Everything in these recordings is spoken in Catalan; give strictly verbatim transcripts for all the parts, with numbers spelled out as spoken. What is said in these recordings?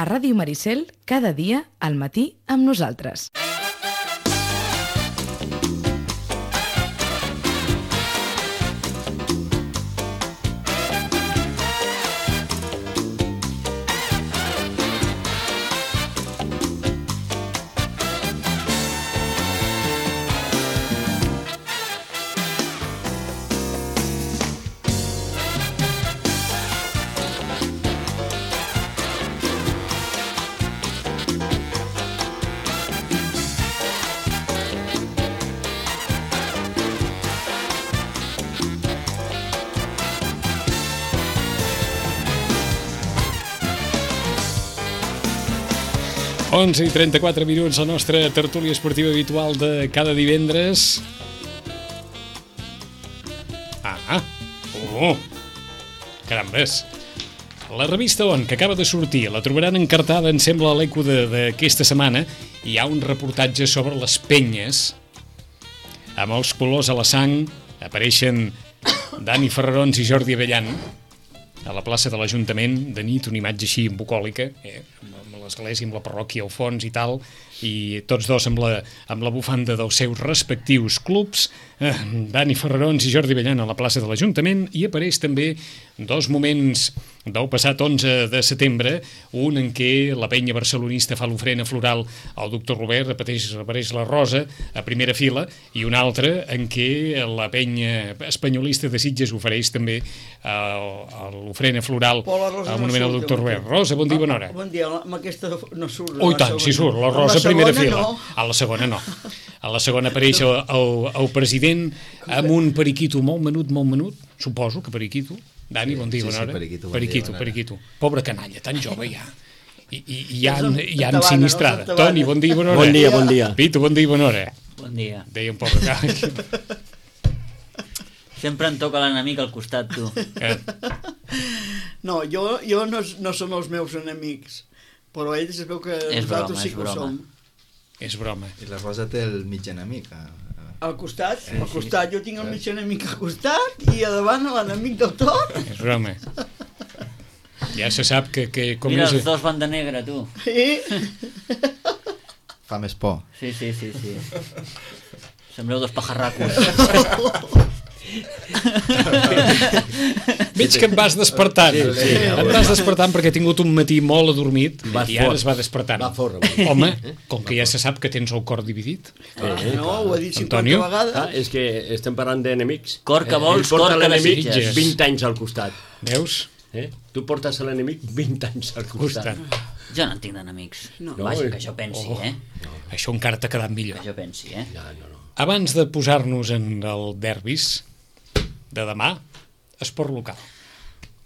Ràdio Maricel, cada dia al matí amb nosaltres. onze i trenta-quatre minuts, la nostra tertúlia esportiva habitual de cada divendres. Ah, oh, carambes. La revista On, que acaba de sortir, la trobaran encartada, em sembla, a l'Eco d'aquesta setmana. Hi ha un reportatge sobre les penyes, amb els colors a la sang. Apareixen Dani Ferrarons i Jordi Avellan a la plaça de l'Ajuntament, de nit, una imatge així bucòlica, eh, amb l'església, amb la parròquia al fons i tal, i tots dos amb la, amb la bufanda dels seus respectius clubs, eh, Dani Ferrarons i Jordi Avellan a la plaça de l'Ajuntament, i apareix també dos moments del passat onze de setembre, un en què la penya barcelonista fa l'ofrena floral al doctor Robert, apareix, apareix la Rosa a primera fila, i un altre en què la penya espanyolista de Sitges ofereix també uh, l'ofrena floral al monument al doctor Robert. Rosa, bon dia, bona hora. Bon dia, amb aquesta no surt. Oh, i tant, si surt, la Rosa a primera fila. A la segona no. A la segona apareix el, el, el president amb un periquito molt menut, molt menut, suposo que periquito. Dani, bon dia, bona hora. Sí, sí, periquito, bon periquito, dia, periquito. Pobre canalla, tan jove ja. I, i, i ja han, ja han sinistrada. Toni, bon dia, bona hora. Bon dia, bon dia. Pitu, bon dia, bona hora. Bon dia. Deia un pobre canalla. Sempre em toca l'enemic al costat, tu. Eh? No, jo, jo no, no som els meus enemics, però ells es veu que És nosaltres broma, sí és que ho broma. som. És broma. I la Rosa té el mig enemic. Al costat, al costat, jo tinc el mig enemic al costat i a davant l'enemic del tot. És broma. Ja se sap que... que com Mira, és... els dos van de negre, tu. Sí. Fa més por. Sí, sí, sí, sí. Sembleu dos pajarracos. Veig que em vas despertant. Sí, sí, em vas despertant perquè he tingut un matí molt adormit Vas i ara fort. es va despertant. Va fort, Home, com que ja se sap que tens el cor dividit. Eh, no, ho he dit cinquanta Antonio? vegades. Ah, és que estem parlant d'enemics. Cor que vols, Ell porta cor que l'enemic desitges. vint anys al costat. Veus? Eh? Tu portes l'enemic vint anys al costat. Costat. Jo no en tinc d'enemics. No. Vaja, No, que jo pensi, Oh. eh? Això encara t'ha quedat millor. Que jo pensi, eh? No, no, no. Abans de posar-nos en el derbis de demà, esport local.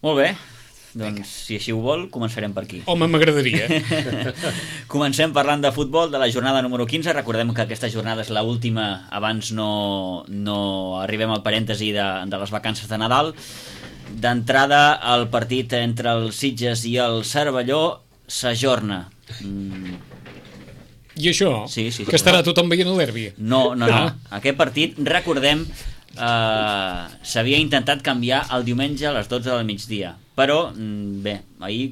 Molt bé. Doncs, si així ho vol, començarem per aquí. Home, m'agradaria. Comencem parlant de futbol, de la jornada número quinze. Recordem que aquesta jornada és l'última abans no, no arribem al parèntesi de, de les vacances de Nadal. D'entrada, el partit entre el Sitges i el Cervelló s'ajorna. Mm, I això? Sí, sí, sí. Que estarà tothom veient el derbi? no, no, no. Ah. Aquest partit, recordem, eh, s'havia intentat canviar el diumenge a les dotze del migdia. Però, mm, bé, ahir,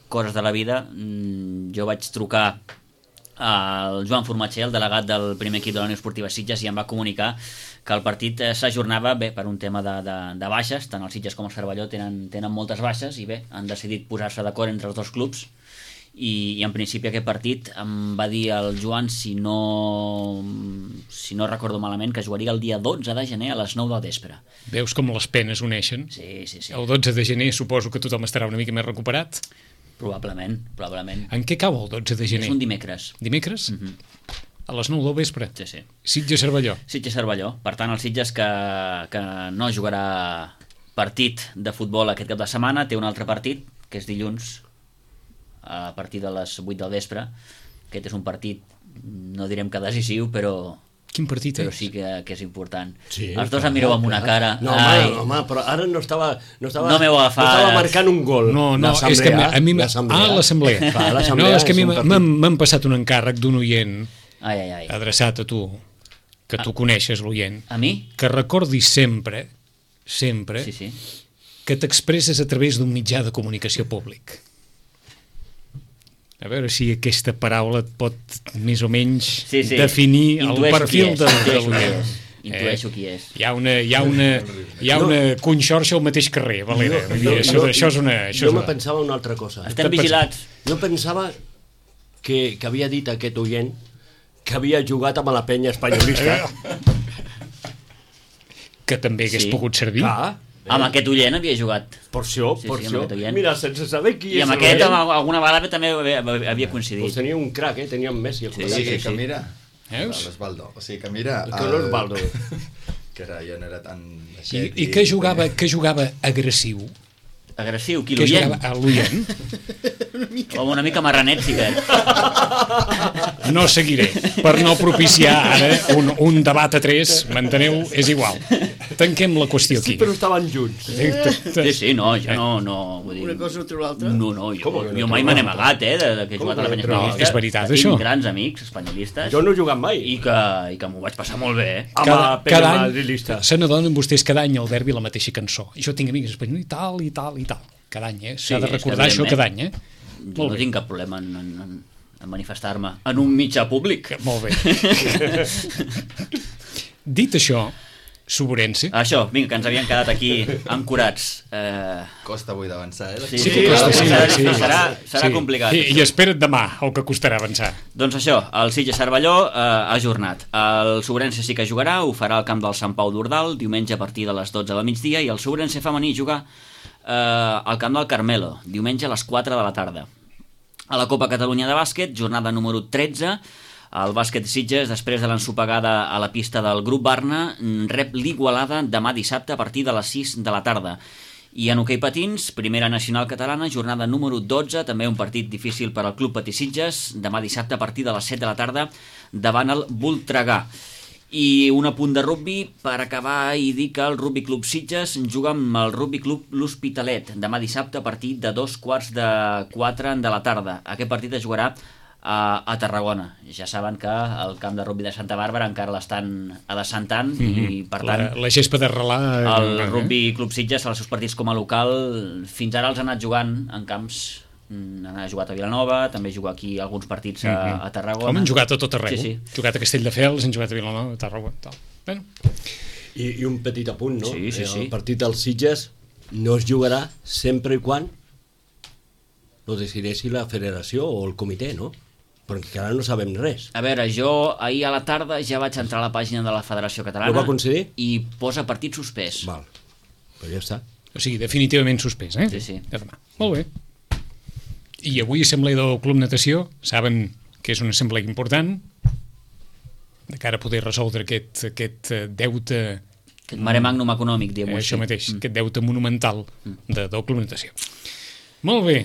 coses de la vida, mm, jo vaig trucar al Joan Formatger, el delegat del primer equip de la Unió Esportiva Sitges, i em va comunicar que el partit eh, s'ajornava bé per un tema de, de, de baixes. Tant el Sitges com el Cervelló tenen, tenen moltes baixes i bé, han decidit posar-se d'acord entre els dos clubs i, i en principi aquest partit em va dir el Joan, si no si no recordo malament, que jugaria el dia dotze de gener a les nou del vespre. Veus com les penes uneixen? Sí, sí, sí. El dotze de gener suposo que tothom estarà una mica més recuperat. Probablement, probablement. En què cau el dotze de gener? És un dimecres. Dimecres? Mm -hmm. A les nou del vespre? Sí, sí. Sitges-Cervelló. Sitges-Cervelló. Per tant, el Sitges que, que no jugarà partit de futbol aquest cap de setmana, té un altre partit, que és dilluns, a partir de les vuit del vespre. Aquest és un partit, no direm que decisiu, però... Quin partit però és? sí que, que és important. Sí, Els dos clar, em mireu amb una clar. cara. No, Ai, home, home, però ara no estava... No, estava, No m'heu agafat. No estava marcant un gol. No, no, és que a mi... L'assemblea. Ah, l'assemblea. Clar, l'assemblea No, és que a mi és un partit. m'han m'han passat un encàrrec d'un oient ai, ai, ai. adreçat a tu, que tu coneixes, l'oient, A mi? que recordis sempre, sempre, Sí, sí. que t'expresses a través d'un mitjà de comunicació públic. A veure si aquesta paraula et pot més o menys Sí, sí. definir el Intueixo perfil qui és, del, de intueixo qui l'oient. és. Intueixo qui és. Hi ha una, hi ha una, hi ha una conxorxa al mateix carrer, Valera. Vull dir, això, això és una... Això jo és me una... pensava una altra cosa. Estem vigilats. Jo pensava que, que havia dit aquest oient que havia jugat amb la penya espanyolista. Que també hagués Sí. pogut servir. Clar. Amb aquest oient havia jugat. Per això, Sí, per sí, amb això. aquest oient. Mira, sense saber qui I és amb el aquest oient, amb alguna vegada també havia, havia doncs coincidit. tenia un crac, eh? Tenia un Messi. O sigui, que mira... Veus? L'Osvaldo. O sigui, que mira... Que l'Osvaldo. Que era, jo no era tan... I, i que jugava, que jugava agressiu. Agressiu, qui Que l'oient? jugava a l'oient. Home, una mica marranet, sí que. No seguiré, per no propiciar ara un, un debat a tres, m'enteneu? És igual. Tanquem la qüestió Sí, aquí. però estaven junts. Sí, sí, no, jo no... no vull dir, Una cosa o l'altra. No, no, jo, Com que no jo mai me n'he amagat, eh, de, de que he Com jugat a la que penya no? espanyolista. És veritat, Tinc això. grans amics espanyolistes Jo no he jugat mai. i que, i que m'ho vaig passar molt bé, eh? Amb la penya madrilista. se n'adonen vostès cada any al derbi la mateixa cançó. I jo tinc amics espanyols i tal, i tal, i tal. Cada any, eh? S'ha Sí, de és que recordar això cada any, eh? Jo Molt no bé. tinc cap problema en, en, en, en manifestar-me en un mitjà públic. Molt bé. Dit això, Soborense... Això, vinga, que ens havien quedat aquí ancorats. Eh, Costa avui d'avançar, eh? sí, Sí que costa, sí, serà, sí. serà, serà Sí. complicat. I, I espera't demà, el que costarà avançar. Doncs això, el Sitges Cervelló eh, ha ajornat. El Sobrense sí que jugarà, ho farà al camp del Sant Pau d'Ordal, diumenge a partir de les dotze del migdia, i el Sobrense femení juga eh, al camp del Carmelo, diumenge a les quatre de la tarda. A la Copa Catalunya de Bàsquet, jornada número tretze, el bàsquet Sitges, després de l'ensopegada a la pista del Grup Barna, rep l'Igualada demà dissabte a partir de les sis de la tarda. I en hoquei patins, primera nacional catalana, jornada número dotze, també un partit difícil per al Club Patí Sitges, demà dissabte a partir de les set de la tarda davant el Voltregà. I un apunt de rugbi per acabar i dir que el Rugbi Club Sitges juga amb el Rugbi Club L'Hospitalet demà dissabte a partir de dos quarts de quatre de la tarda. Aquest partit es jugarà a, a Tarragona. Ja saben que el camp de rugbi de Santa Bàrbara encara l'estan adescentant mm-hmm. i per tant La, la gespa de relar... el Rugbi Club Sitges als seus partits com a local fins ara els ha anat jugant en camps, ha jugat a Vilanova, també juga aquí alguns partits a, a Tarragona. Com han jugat a tot arreu. Sí, sí. Han jugat a Castelldefels, han jugat a Vilanova, a Tarragona, tal. Bueno. I, I un petit apunt, no? Sí, sí, sí. El partit dels Sitges no es jugarà sempre i quan lo decideixi la federació o el comitè, no? Perquè ara no sabem res. A veure, jo ahir a la tarda ja vaig entrar a la pàgina de la Federació Catalana Ho va concedir? i posa partit suspès. Val, però ja està. O sigui, definitivament suspès, eh? Sí, sí. De demà. Molt bé. I avui assemblea del Club Natació, saben que és una assemblea important, de cara a poder resoldre aquest, aquest eh, deute, Aquest mare magnum econòmic, eh, diguem-ho això així. mateix, mm. aquest deute monumental de, del Club Natació. Molt bé.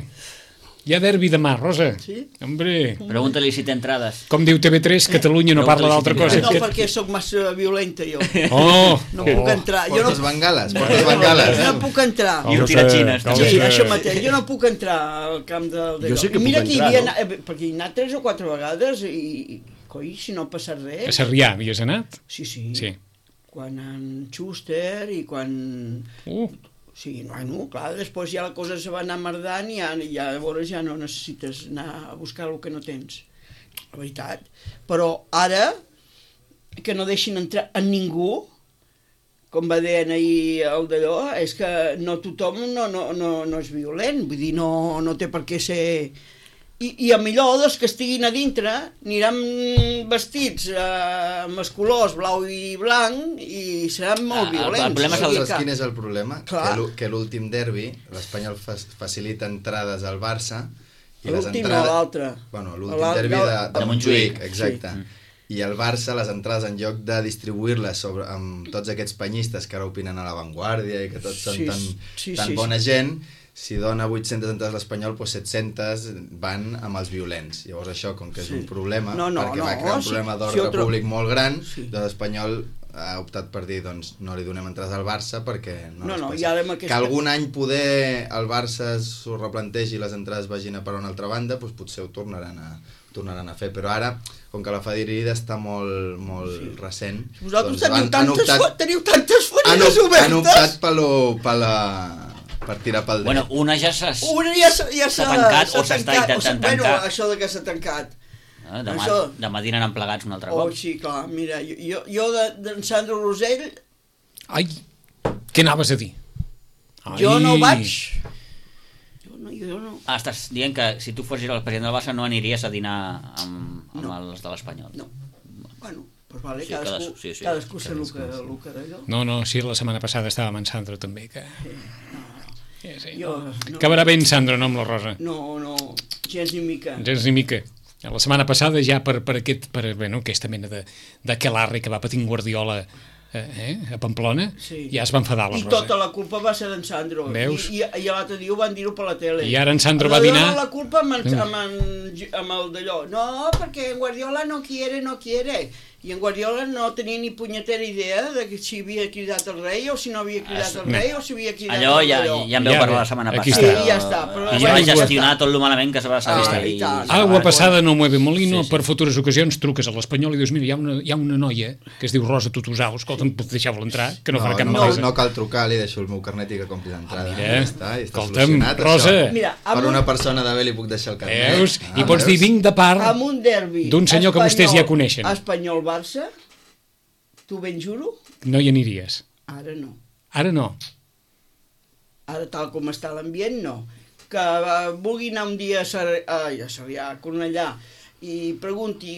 Hi ha derbi demà, Rosa. Sí? Hombre, Pregunta-li si té entrades. com diu T V tres, Catalunya no parla d'altra cosa. No, perquè sóc massa violenta, jo. Oh! No puc entrar. Jo no, Portes bengales, portes bengales. no puc entrar. I un tiratxines, cal Sí, ser- això mateix. Jo no puc entrar al camp del... Jo sí que Mira puc que hi entrar, havia no? anat, eh, perquè hi he anat tres o quatre vegades i, coi, si no ha passat A res... Sarrià havies anat? Sí, sí. Sí. Quan en Schuster i quan... Uh, Sí, no, no, clar, després ja la cosa se va anar merdant i ja, ja, llavors ja no necessites anar a buscar el que no tens, la veritat. Però ara, que no deixin entrar a ningú, com va dir ahir el d'allò, és que no tothom no, no, no, no és violent, vull dir, no, no té per què ser... I, i a millor dels que estiguin a dintre aniran vestits eh, amb els colors blau i blanc i seran molt Ah, el- violents. el problema és el- Saps quin és el problema? Clar. Que l'ú- Que l'últim derbi, l'Espanyol fa facilita entrades al Barça i les L'últim entrades... o l'altre? Bueno, l'últim L'al- derbi de, de- de, de Montjuïc, Montjuïc. exacte. I el Barça, les entrades, en lloc de distribuir-les sobre, amb tots aquests penyistes que ara opinen a l'avantguàrdia i que tots són Sí, tan, sí, tan sí, bona sí. gent, si dona vuit-centes entrades a l'Espanyol, doncs set-centes van amb els violents. Llavors això, com que és Sí. un problema, No, no, perquè no, va crear un si- problema si d'ordre otro- públic molt gran, Sí. doncs l'Espanyol ha optat per dir, doncs no li donem entrades al Barça perquè no, No, les no, passa. i ara amb aquesta- Que algun any poder el Barça s'ho replantegi i les entrades vagin a per una altra banda, doncs potser ho tornaran a, ho tornaran a fer, però ara, com que la fadrida està molt, molt sí. recent, Vosaltres doncs teniu, han, han tantes, optat, optat, teniu tantes han, ferides op, obertes. han optat per, lo, per la per tirar pel dret. Bueno, una ja s'ha Una ja s'ha ja s'ha tancat o s'està tancat, intentant o s'ha- bueno, tancar. això de que s'ha tancat. Eh, demà, Això- demà dinaran plegats un altre Oh, cop. sí, clar, mira, jo, jo, jo de- d'en Sandro Rosell, Ai, què anaves a dir? Ai. jo no vaig. Jo no, jo no. Ah, estàs dient que si tu fossis el president del Barça no aniries a dinar amb, amb No. els de l'Espanyol. No. Bueno, pues vale, Sí, cadascú, cadascú, sí, sí. cadascú sé el que, el que d'allò. No, no, sí, la setmana passada estava amb en Sandro també, que... Sí, sí. Jo, no, Acabarà bé en Sandro, no amb la Rosa. no, no, gens ni mica. Gens ni mica. La setmana passada ja per, per, aquest, per bueno, aquesta mena de, d'aquelarre que va patint Guardiola eh, eh, a Pamplona, Sí. ja es va enfadar la I Rosa. tota la culpa va ser d'en Sandro. Veus? I, i, i l'altre dia ho van dir-ho per la tele. I ara en Sandro va Li dinar- donen la culpa amb, en, amb, en, amb el d'allò. No, perquè en Guardiola no quiere, no quiere. I en Guardiola no tenia ni punyetera idea de que si havia cridat el rei o si no havia cridat el rei o si havia cridat Allò ja, allò. ja en veu Ja parlar bé, la setmana aquí passada. està. Sí, ja està, però- I Ja va aigua- gestionar tot el malament que se va saber. Ah, i tant. Agua passada no mueve molino, Sí, sí. per futures ocasions truques a l'Espanyol i dius, mira, hi ha una, hi ha una noia que es diu Rosa Tutusau, escolta'm, deixeu-la entrar, que no, no, farà cap no, malesa. no cal trucar, li deixo el meu carnet i que compris entrada. Ah, mira. Ja està, i està Escolta'm, solucionat, Rosa. això. Mira, Per amb un- una persona de bé li puc deixar el carnet. Veus? Ah, I pots dir, veus? vinc de part Amb un derbi d'un senyor que vostès ja coneixen. Espanyol-Barça, tu ben juro, No hi aniries. ara no. Ara no. Ara tal com està l'ambient, no. Que uh, vulgui anar un dia a, Sar ai, a Sarrià, a Cornellà, i pregunti...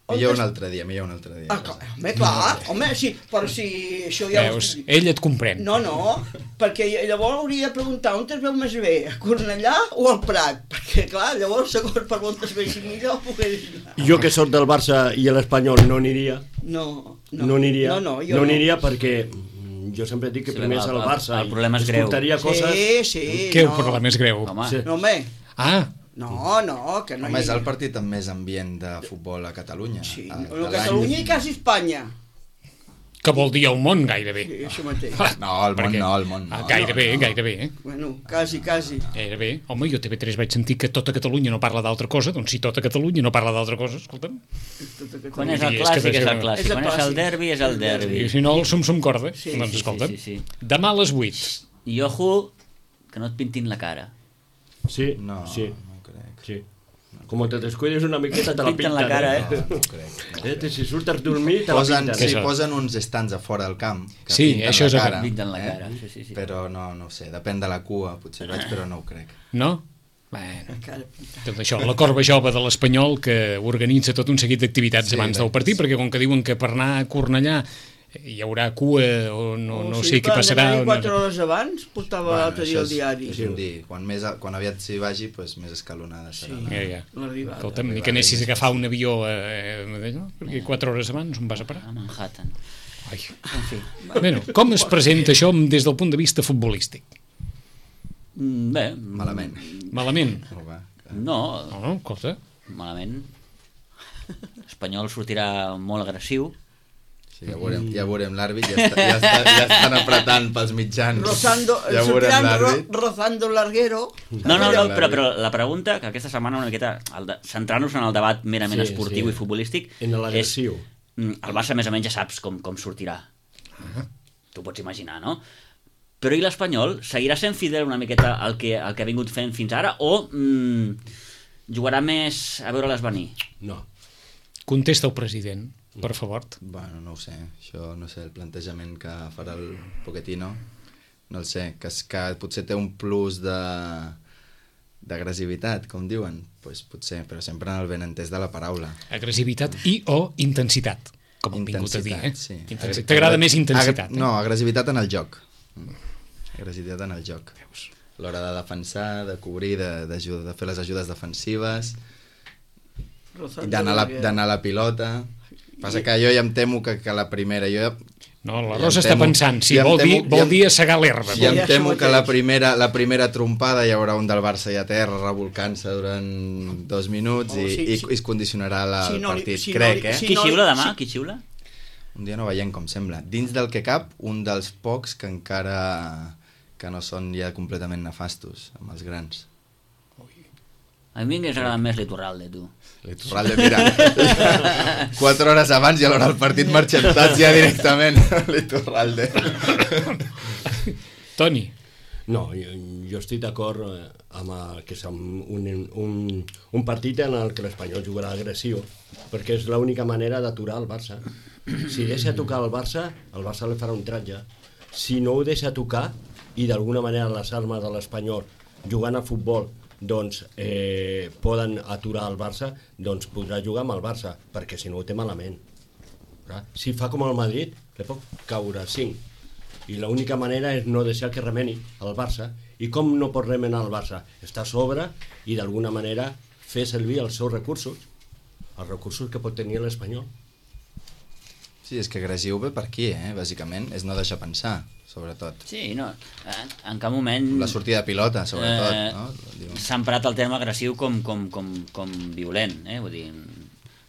on Millor es- un altre dia, millor un altre dia. Ah, clar, home, clar, home, sí, però si això ja... ho Veus? estic- Ell et comprèn. No, no, perquè llavors hauria de preguntar on es veu més bé, a Cornellà o al Prat? Perquè, clar, llavors, segons per on es vegi millor, pogués anar. Jo que sóc del Barça i l'Espanyol no aniria. No, no, No aniria. No, no, jo no aniria perquè mm, jo sempre dic que Sí, primer és el- el Barça. el problema és i greu. es portaria coses... Sí, sí, Què no. problema és greu? Home, Sí. No, home, Ah, no, no, que no Home, és hi... el partit amb més ambient de futbol a Catalunya. Sí, a- no, de l'any. Catalunya i quasi Espanya. que vol dir el món gairebé. Sí, això mateix. No, el món Perquè- no, el món no. Ah, gairebé, no. gairebé. Eh? Bueno, quasi, quasi. Gairebé. Home, jo a T V tres vaig sentir que tota Catalunya no parla d'altra cosa, doncs si tota Catalunya no parla d'altra cosa, escolta'm. quan és el I és que clàssic, és el deixa- clàssic. És el Quan és el clàssic. derbi, és el derbi. I si no, el sum-sum corda. Sí, doncs sí, escolta'm, sí, sí, sí. demà a les vuit. I ojo, que no et pintin la cara. Sí, No, sí, no crec. sí. Com te descuides una miqueta te la Pinten pinten. la cara, eh? No, no crec. eh? eh? Si surts a dormir te la Posen, pinten. sí, Això. posen uns estants a fora del camp que Sí, pinten això és la el que cara, pinten la cara, sí, sí, sí. Però no, no ho sé, depèn de la cua, potser vaig, però no ho crec. No? Bueno, Encara pinta. tot això, la corba jove de l'Espanyol que organitza tot un seguit d'activitats Sí, abans del partit, perquè com que diuen que per anar a Cornellà hi haurà cua o no, no Oh, sé què clar, passarà. anar-hi o quatre no... hores abans portava l'altre dia això al és, diari. és un dir, quan, més, a- quan aviat s'hi vagi, doncs més escalonada serà. Sí. la- Ja, ja. L'arribada. Escolta'm, ni que anessis a agafar un avió eh, eh, no? perquè quatre hores abans on vas a parar. A Manhattan. Ai. En fi. Bueno, com es presenta això des del punt de vista futbolístic? Mm, Bé. Malament. Malament? No, va. No, No, no, escolta. malament. L'Espanyol sortirà molt agressiu. Sí, ja veurem, ja veurem l'àrbit, ja, està, ja, està, ja estan apretant pels mitjans. Rozando, ja veurem sortiran ro, l'àrbit. rozando larguero. No, no, no, però, però la pregunta, que aquesta setmana una miqueta, el de- centrant-nos en el debat merament Sí, esportiu sí. i futbolístic, En l'agressiu. és, mm, el Barça més o menys ja saps com, com sortirà. Tu pots imaginar, no? Però i l'Espanyol seguirà sent fidel una miqueta al que, al que ha vingut fent fins ara o mm, jugarà més a veure-les venir? No. Contesta el president, per favor. Bueno, no ho sé, això no sé, el plantejament que farà el Pochettino, no el sé, que, és, que potser té un plus de d'agressivitat, com diuen, pues potser, però sempre en el benentès de la paraula. Agressivitat i o intensitat, com hem vingut a dir. Eh? sí. Intensitat. T'agrada més intensitat? Agra... No, agressivitat en el joc. Agressivitat en el joc. A l'hora de defensar, de cobrir, de, de, de fer les ajudes defensives, i d'anar a, la, d'anar a la pilota. Passa que jo ja em temo que, que la primera... Jo ja, No, la ja Rosa em està temo- pensant, sí, ja em vol, dir, temo- vol ja em- dir assegar l'herba. ja em Ja, temo això que la mateix. primera, la primera trompada hi haurà un del Barça i a terra revolcant-se durant dos minuts Oh, i, sí, i, sí. i es condicionarà la, Si el no li- partit, si no crec, li- eh? si Qui no li- xiula demà? si- Qui xiula? Un dia no veiem com sembla. Dins del que cap, un dels pocs que encara que no són ja completament nefastos amb els grans. A mi m'hagués agradat més l'Iturralde, tu. L'Iturralde, mira, quatre hores abans i a l'hora del partit marxentats ja directament l'Iturralde. Toni, No, jo, jo estic d'acord eh, amb el, que és un, un, un partit en el que l'Espanyol jugarà agressiu, perquè és l'única manera d'aturar el Barça. Si deixa tocar el Barça, el Barça li farà un tratge. Si no ho deixa tocar, i d'alguna manera les armes de l'Espanyol jugant a futbol doncs eh, poden aturar el Barça, doncs podrà jugar amb el Barça, perquè si no ho té malament. Si fa com el Madrid, li pot caure cinc. I l'única manera és no deixar que remeni el Barça. I com no pot remenar el Barça? Està a sobre i d'alguna manera fer servir els seus recursos, els recursos que pot tenir l'Espanyol. Sí, és que agressiu ve per aquí, eh, bàsicament. És no deixar pensar, sobretot. Sí, no, en cap moment... La sortida de pilota, sobretot. Eh, no? S'ha emprat el terme agressiu com, com, com, com violent, eh? Vull dir,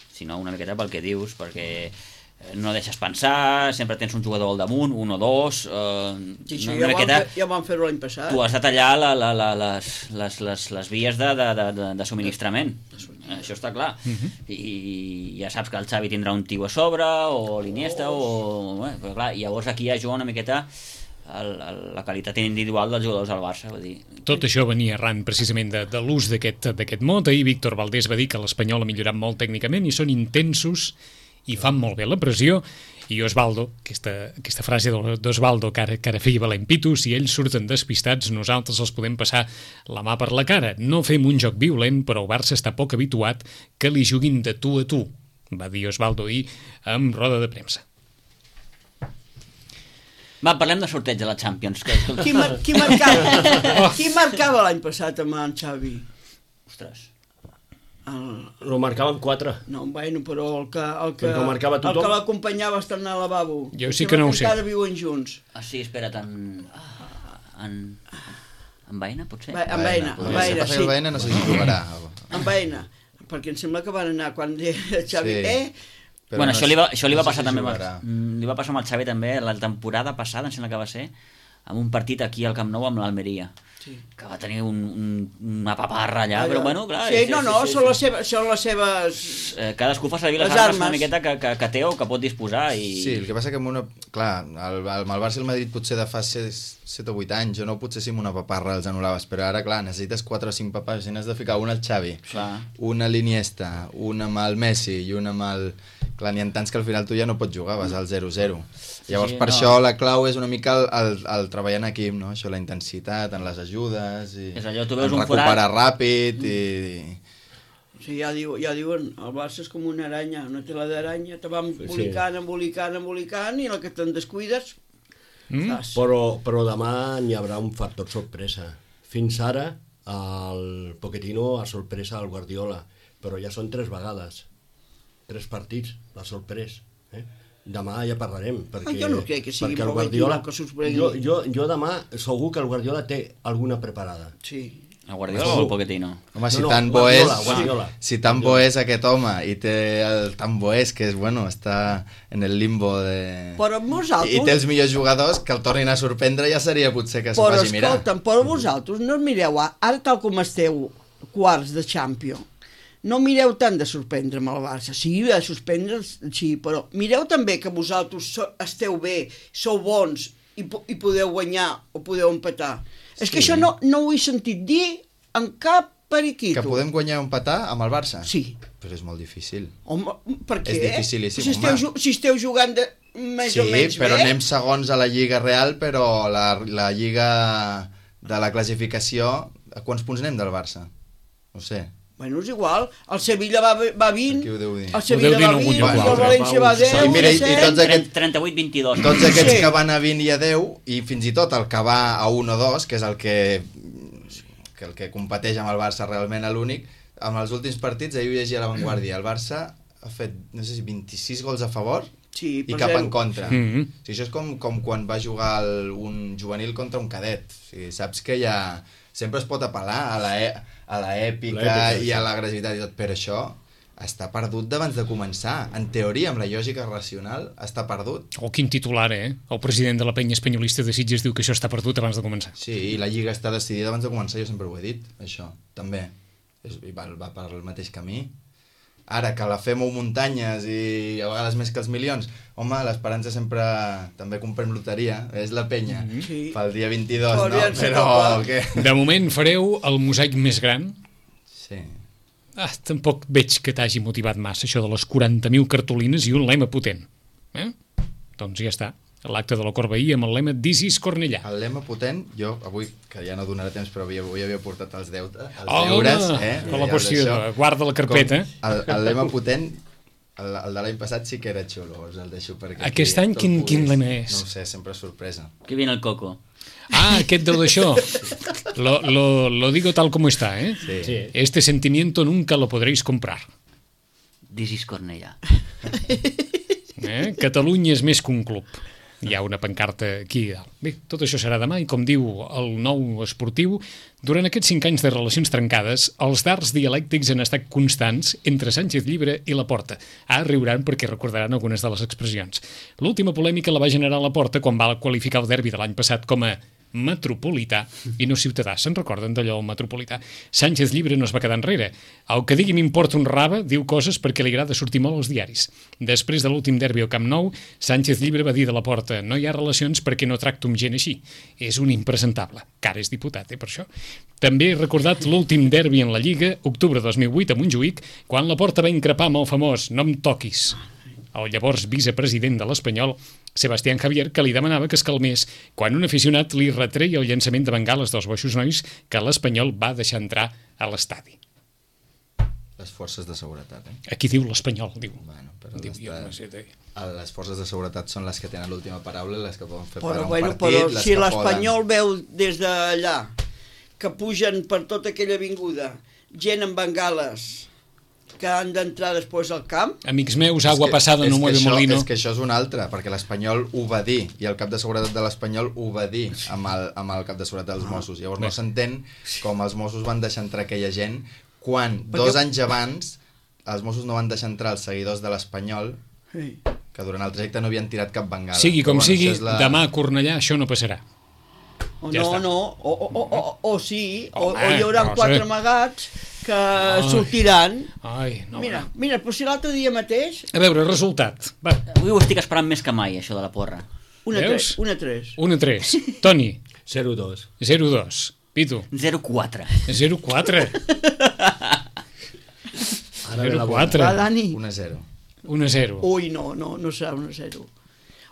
si no una miqueta pel que dius, perquè no deixes pensar, sempre tens un jugador al damunt, un o dos... Eh, sí, sí, una ja, miqueta, vam, ja vam fer-ho l'any passat. Tu has de tallar la, la, la, les, les, les, les vies de, de, de, de subministrament. Això està clar. Uh-huh. I ja saps que el Xavi tindrà un tio a sobre, o l'Iniesta, o... Bé, però clar, llavors aquí ja juga una miqueta el, el, la qualitat individual dels jugadors del Barça. Vull dir. Tot això venia arran precisament de, de l'ús d'aquest mot. Ahir Víctor Valdés va dir que l'Espanyol ha millorat molt tècnicament i són intensos i fan molt bé la pressió, i Osvaldo, aquesta, aquesta frase d'Osvaldo que ara, que ara feia valent pito, si ells surten despistats, nosaltres els podem passar la mà per la cara. No fem un joc violent, però el Barça està poc habituat que li juguin de tu a tu, va dir Osvaldo ahir amb roda de premsa. Va, parlem de sorteig de la Champions. Que... Qui, mar qui marcava, qui marcava l'any passat amb en Xavi? Ostres... El... Lo marcaven quatre. No, bueno, però el que, el que, el que l'acompanyava a estar al lavabo. Jo sí que no ho sé. Encara viuen junts. Ah, sí, espera't, en... En, en Baena, potser? Ba en Baena, en Baena, sí. En Baena no sé si jugarà. En Baena, perquè em sembla que van anar quan el Xavi... Sí. Eh? Però bueno, no, això li va, això li va no passar si també amb, li va passar amb el Xavi també la temporada passada, em sembla que va ser, amb un partit aquí al Camp Nou amb l'Almeria. Sí. Que va tenir un, un, una paparra allà, allà, però bueno, clar... Sí, és, no, no, és, és, són, les seves, són les seves... Eh, cadascú fa servir les, les armes, armes una miqueta que, que, que té o que pot disposar i... Sí, el que passa que amb una... Clar, el, el, el Barça i el Madrid potser de fa set o vuit anys, o no, potser sí amb una paparra els anul·laves, però ara, clar, necessites quatre o cinc paparres, i n'has de ficar una al Xavi, clar. Una a l'Iniesta, una amb el Messi i una amb el... Clar, n'hi ha tants que al final tu ja no pots jugar, vas al zero zero. Llavors, sí, per no. això la clau és una mica el, el, el treballar en equip, no? Això, la intensitat, en les ajudes, i és allò, tu veus en un recuperar forat... ràpid, i... Sí, ja, diu, ja diuen, el Barça és com una aranya, una tela d'aranya, te va embolicant, sí. embolicant, embolicant, i el que te'n descuides... Mm. Però, però demà n'hi haurà un factor sorpresa. Fins ara, el Pochettino ha sorpresa al Guardiola, però ja són tres vegades, tres partits, l'ha sorprès, eh? Demà ja parlarem, perquè, jo no crec que sigui perquè el Guardiola, que jo, jo, jo demà segur que el Guardiola té alguna preparada. Sí. El Guardiola o el Pochettino? Home, si no, no, tan bo és, Guardiola, Guardiola. si tan bo és aquest home i té el tan bo és que és, bueno, està en el limbo de... Però vosaltres... I té els millors jugadors que el tornin a sorprendre, ja seria potser que s'ho faci mirar. Però escolta'm, però vosaltres no mireu, ara tal com esteu quarts de Champions, no mireu tant de sorprendre amb el Barça, sí, de sorprendre, sí, però mireu també que vosaltres so, esteu bé, sou bons i, i podeu guanyar o podeu empatar. Sí. És que això no, no ho he sentit dir en cap periquito. Que podem guanyar o empatar amb el Barça? Sí. Però és molt difícil. Home, per què? És dificilíssim, si esteu, si esteu jugant de, més sí, o menys bé... Sí, però anem segons a la Lliga Real, però la, la Lliga de la classificació... A quants punts anem del Barça? No sé. Bueno, és igual, el Sevilla va, va vint, el Sevilla va vint, el València va deu, i mira, i, i tots aquests, trenta-vuit vint-i-dos. Tots aquests sí. que van a vint i a deu, i fins i tot el que va a un o dos, que és el que, que, el que competeix amb el Barça realment a l'únic, amb els últims partits, ahir ho llegia a La Vanguardia, el Barça ha fet, no sé si vint-i-sis gols a favor sí, i cap zero. en contra. Mm -hmm. O sigui, això és com, com quan va jugar el, un juvenil contra un cadet. O sigui, saps que ja sempre es pot apel·lar a la... E a l'èpica i a l'agressivitat i tot, però això està perdut d'abans de començar. En teoria, amb la lògica racional, està perdut. Oh, quin titular, eh? El president de la penya espanyolista de Sitges diu que això està perdut abans de començar. Sí, i la Lliga està decidida abans de començar, jo sempre ho he dit, això, també. És, va, va per el mateix camí. Ara que la fem muntanyes i a vegades més que els milions, home, l'esperança sempre... També comprem loteria, és la penya, Sí. pel dia vint-i-dos, Però no? aviam si Però... toca. Què? De moment fareu el mosaic més gran. Sí. Ah, tampoc veig que t'hagi motivat massa això de les quaranta mil cartolines i un lema potent. Eh? Doncs ja està. L'acte de la Corbeí amb el lema This is Cornellà. El lema potent, jo avui, que ja no donarà temps, però avui, avui havia portat els, deute, els Oh, deures, eh? com la I qüestió, els d'això, guarda la carpeta. com El, el lema potent, el, el de l'any passat sí que era xulo, us el deixo perquè... Aquest aquí any tot quin- puguis. quin lema és? No ho sé, sempre és sorpresa. Que viene el coco. Ah, aquest deu d'això. Lo, lo, lo digo tal como está, ¿eh? Sí. Sí. Este sentimiento nunca lo podréis comprar. This is Cornellà. Eh? Catalunya és més que un club. Hi ha una pancarta aquí dalt. Bé, tot això serà demà i, com diu el nou esportiu, durant aquests cinc anys de relacions trencades, els dards dialèctics han estat constants entre Sánchez Llibre i Laporta. Ah, riuran perquè recordaran algunes de les expressions. L'última polèmica la va generar Laporta quan va qualificar el derbi de l'any passat com a metropolità i no ciutadà. Se'n recorden d'allò, el metropolità? Sánchez Llibre no es va quedar enrere. El que digui m'importa un rave diu coses perquè li agrada sortir molt als diaris. Després de l'últim derbi al Camp Nou, Sánchez Llibre va dir de la Porta: no hi ha relacions perquè no tracto amb gent així. És un impresentable. Que ara és diputat, eh, per això. També he recordat l'últim derbi en la Lliga, octubre dos mil vuit, a Montjuïc, quan la Porta va increpar amb el famós "no em toquis" el llavors vicepresident de l'Espanyol, Sebastián Javier, que li demanava que es calmés quan un aficionat li retreia el llançament de bengales dels boixos nois que l'Espanyol va deixar entrar a l'estadi. Les forces de seguretat, eh? Aquí diu l'Espanyol, diu. Bueno, però Diu, les, jo de, no sé, de... les forces de seguretat són les que tenen l'última paraula, les que poden fer Però, parar un bueno, partit, però les si que l'Espanyol poden... veu des d'allà que pugen per tota aquella avinguda gent amb bengales que han d'entrar després al camp, Amics meus, agua passada no mueve això, molino. És que això és una altra, perquè l'Espanyol ho va dir, i el cap de seguretat de l'Espanyol ho va dir amb el, amb el cap de seguretat dels Mossos. Llavors no s'entén com els Mossos van deixar entrar aquella gent quan Perquè- dos anys abans els Mossos no van deixar entrar els seguidors de l'Espanyol, sí. que durant el trajecte no havien tirat cap bengala. Sigui com Però, sigui, això és la... demà a Cornellà això no passarà. O Ja no, està. no, o, o, o, o, o sí, o, Home, o hi haurà no sé. quatre amagats que sortiran. Ai, no. Mira, mira, però si l'altre dia mateix, A veure, resultat. Va, Avui ho estic esperant més que mai, això de la porra. una Veus? tres, una tres. un a tres. Toni, zero dos. zero a dos. Pitu, zero quatre. zero a quatre. Ara ve zero la a bona. quatre. Va, Dani. un a zero. un a zero. Ui, no, no, no serà un a zero.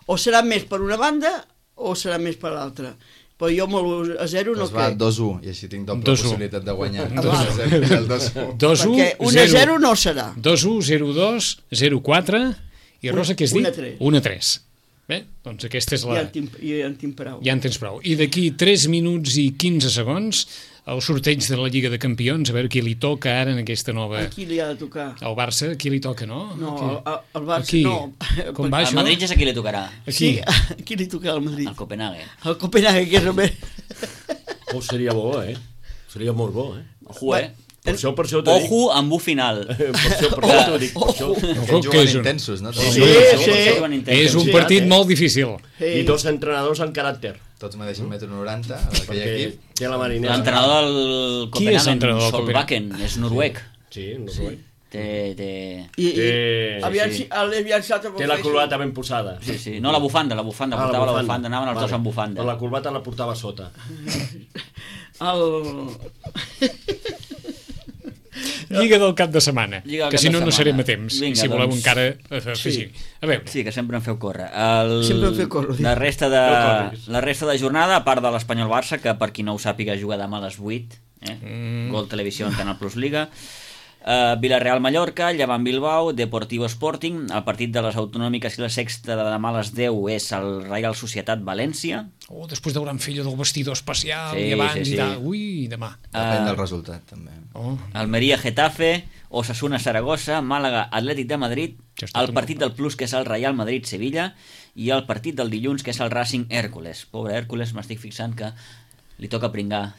O serà més per una banda o serà més per l'altra. Però jo amb el a zero no Doncs va, crec. dos a u, i així tinc doble dos a u. possibilitat de guanyar. dos a u. El dos a u. dos a u, Perquè un a zero no serà. dos a u, zero a dos, zero a quatre, i Rosa, què has dit? un a tres. un a tres. Bé, doncs aquesta és la... Ja en tinc, ja en tinc prou. Ja en tens prou. I d'aquí tres minuts i quinze segons, el sorteig de la Lliga de Campions, a veure qui li toca ara en aquesta nova... A qui li ha de tocar? Al Barça, qui li toca, no? No, Aquí. al, al Barça Aquí. no. Com va Al això? Madrid ja sé a qui li tocarà. Aquí. Sí, a qui li tocarà al Madrid? Al Copenhague. Al Copenhague, que és el més... Oh, seria bo, eh? Seria molt bo, eh? Ojo, eh? Per això, per això t'ho dic. Ojo amb un final. Per això, per això t'ho dic. Per això. Ojo, Aquests que és juguen un- intensos, no? Sí, Tots, sí. És un Sí, partit eh? molt difícil. Sí. I dos entrenadors en caràcter. tots medeixen metro noranta, aquell Perquè equip. té la marinera. L'entrenador del Qui és Copenhagen, l'entrenador del Solbakken, és noruec. Sí, no sé. Té, té... I, i Eh, aviam sí. si l'he llançat amb Té el la Facebook. corbata ben posada. Sí, sí. No, la bufanda, la bufanda. Ah, Portava la bufanda, anaven els Vale. dos amb bufanda. Però la corbata la portava sota. El... Lliga del cap de setmana, Lliga del que cap si de no, no setmana. serem a temps. Vinga, I si voleu doncs. encara eh, afegir. A veure, Sí, que sempre em feu córrer. El... Sempre em feu córrer, La dic. resta, de... No corris. la resta de jornada, a part de l'Espanyol-Barça, que per qui no ho sàpiga juga demà a les vuit, eh? mm. Gol Televisió en Canal Plus Liga. Uh, Villarreal-Mallorca, Llevant-Bilbao, Deportivo Sporting. El partit de les autonòmiques i la sexta de demà a les deu és el Reial Societat-València. oh, després del gran fill del vestidor especial Sí, i abans sí, sí. i tal. Ui, demà. Depèn Ah. del resultat, també. Oh. Almeria-Getafe, Osasuna-Saragossa, Màlaga-Atlètic de Madrid, Ja està el tot partit del Plus, que és el Real Madrid-Sevilla, i el partit del dilluns, que és el Racing-Hèrcules. Pobre Hèrcules, m'estic fixant que li toca pringar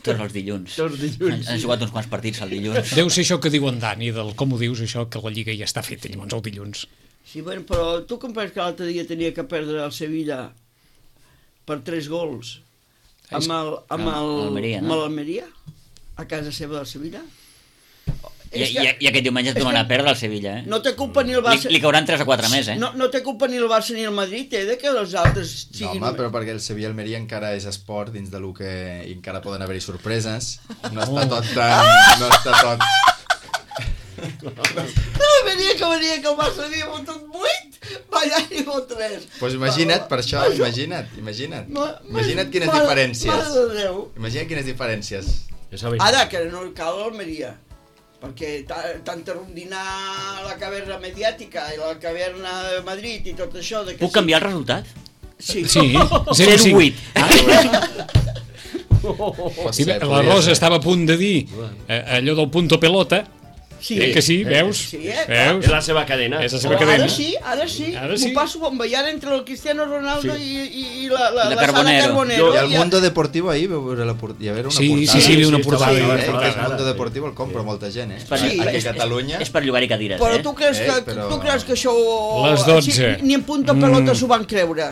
tots els dilluns. Tots els dilluns, Han, han jugat uns quants partits el dilluns. Deu ser això que diu en Dani, del com ho dius, això, que la Lliga ja està feta, llavors el dilluns. Sí, bueno, però tu com penses que l'altre dia tenia que perdre el Sevilla per tres gols amb el, amb Amb el, l'Almeria, no? amb l'Almeria a casa seva del Sevilla? I, És que- i, I aquest diumenge es és tornarà que a perdre el Sevilla, eh? No té culpa ni el Li, Barça... li cauran tres o quatre més, eh? No, no té culpa ni el Barça ni el Madrid, eh, de que els altres No, siguin... home, però perquè el Sevilla-Almeria encara és esport dins de lo que i encara poden haver-hi sorpreses. No està tot tan... No està tot... No, venia que venia que el Barça havia fotut vuit, va allà i fot tres. Doncs pues imagina't, per això, imagina't, imagina't. Ma- Imagina't quines mare- diferències. Mare de Déu. Imagina't quines diferències. Ja sabeu. Ara, que no cal l'Almeria, perquè ta- tanta rondinar la caverna mediàtica i la caverna de Madrid i tot això... De que Puc canviar el resultat? Sí. Sí, zero zero cinc. vuit. Pot Sí, ser, la podria Rosa ser. estava a punt de dir eh, allò del punto pelota. Sí. Eh que sí, veus? Sí, eh? Veus? És la seva cadena. És la seva Però cadena. ara sí, ara sí, Ara sí. m'ho passo bomba, i ara entre el Cristiano Ronaldo Sí. i, i, i la, la, I la la Sara Carbonero. Carbonero. I el ja- Mundo Deportivo ahir vau veure la port... hi va haver una Sí, portada. sí, sí, hi havia una Sí, portada. estava Sí, bé, eh, estava que bé, és Mundo ara, Deportivo el compra molta gent, eh? És per, Sí, Aquí és, a Catalunya... És, és per llogar-hi cadires, Però eh? tu creus, Eh, que, però- tu creus que això... Les dotze. Ni, ni en punta pelota s'ho van creure.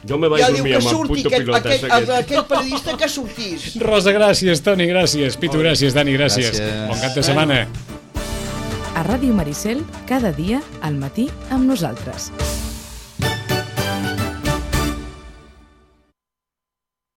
Jo me vaig Ja diu dormir que amb el surti punto aquest, pilotes aquest, aquest. aquest periodista que sortís. Rosa, gràcies. Toni, gràcies. Pitu, gràcies. Dani, gràcies. Gràcies. Bon cap de setmana. A Ràdio Maricel, cada dia, al matí, amb nosaltres.